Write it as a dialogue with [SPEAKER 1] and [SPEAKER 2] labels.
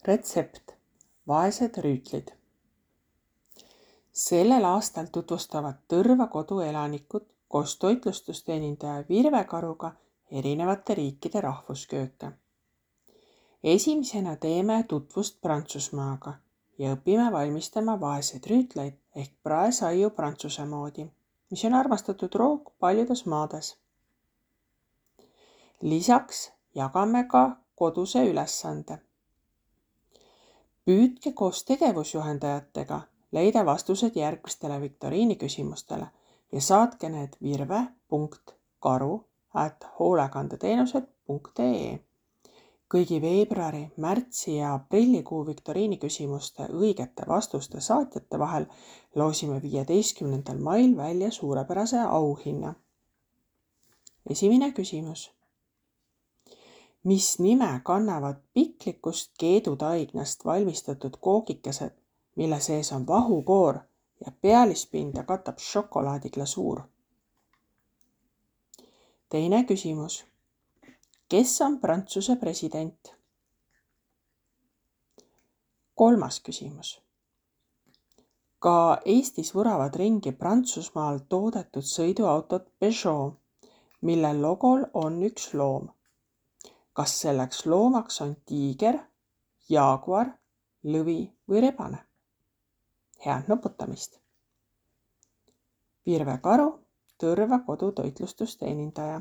[SPEAKER 1] Retsept. Vaesed rüütlid. Sellel aastal tutvustavad Tõrva kodu elanikud koos toitlustusteenindaja Virve Karuga erinevate riikide rahvuskööke. Esimesena teeme tutvust Prantsusmaaga ja õpime valmistama vaeseid rüütleid ehk praesaiu prantsuse moodi, mis on armastatud roog paljudes maades. Lisaks jagame ka koduse ülesande. Püüdke koos tegevusjuhendajatega leida vastused järgmistele viktoriini küsimustele ja saatke need virve.karu@hoolekandeteenused.ee. Kõigi veebruari, märtsi ja aprillikuu viktoriini küsimuste õigete vastuste saatjate vahel loosime 15. mail välja suurepärase auhinna. Esimene küsimus. Mis nime kannavad piklikust keedutaignast valmistatud koogikesed, mille sees on vahukoor ja pealispinda katab šokolaadiglasuur? Teine küsimus. Kes on Prantsuse president? Kolmas küsimus. Ka Eestis vuravad ringi Prantsusmaal toodetud sõiduautot Peugeot, mille logol on üks loom. Kas selleks loomaks on tiiger, jaaguar, lõvi või rebane? Head nuputamist! Virve Karu, Tõrva kodu toitlustusteenindaja.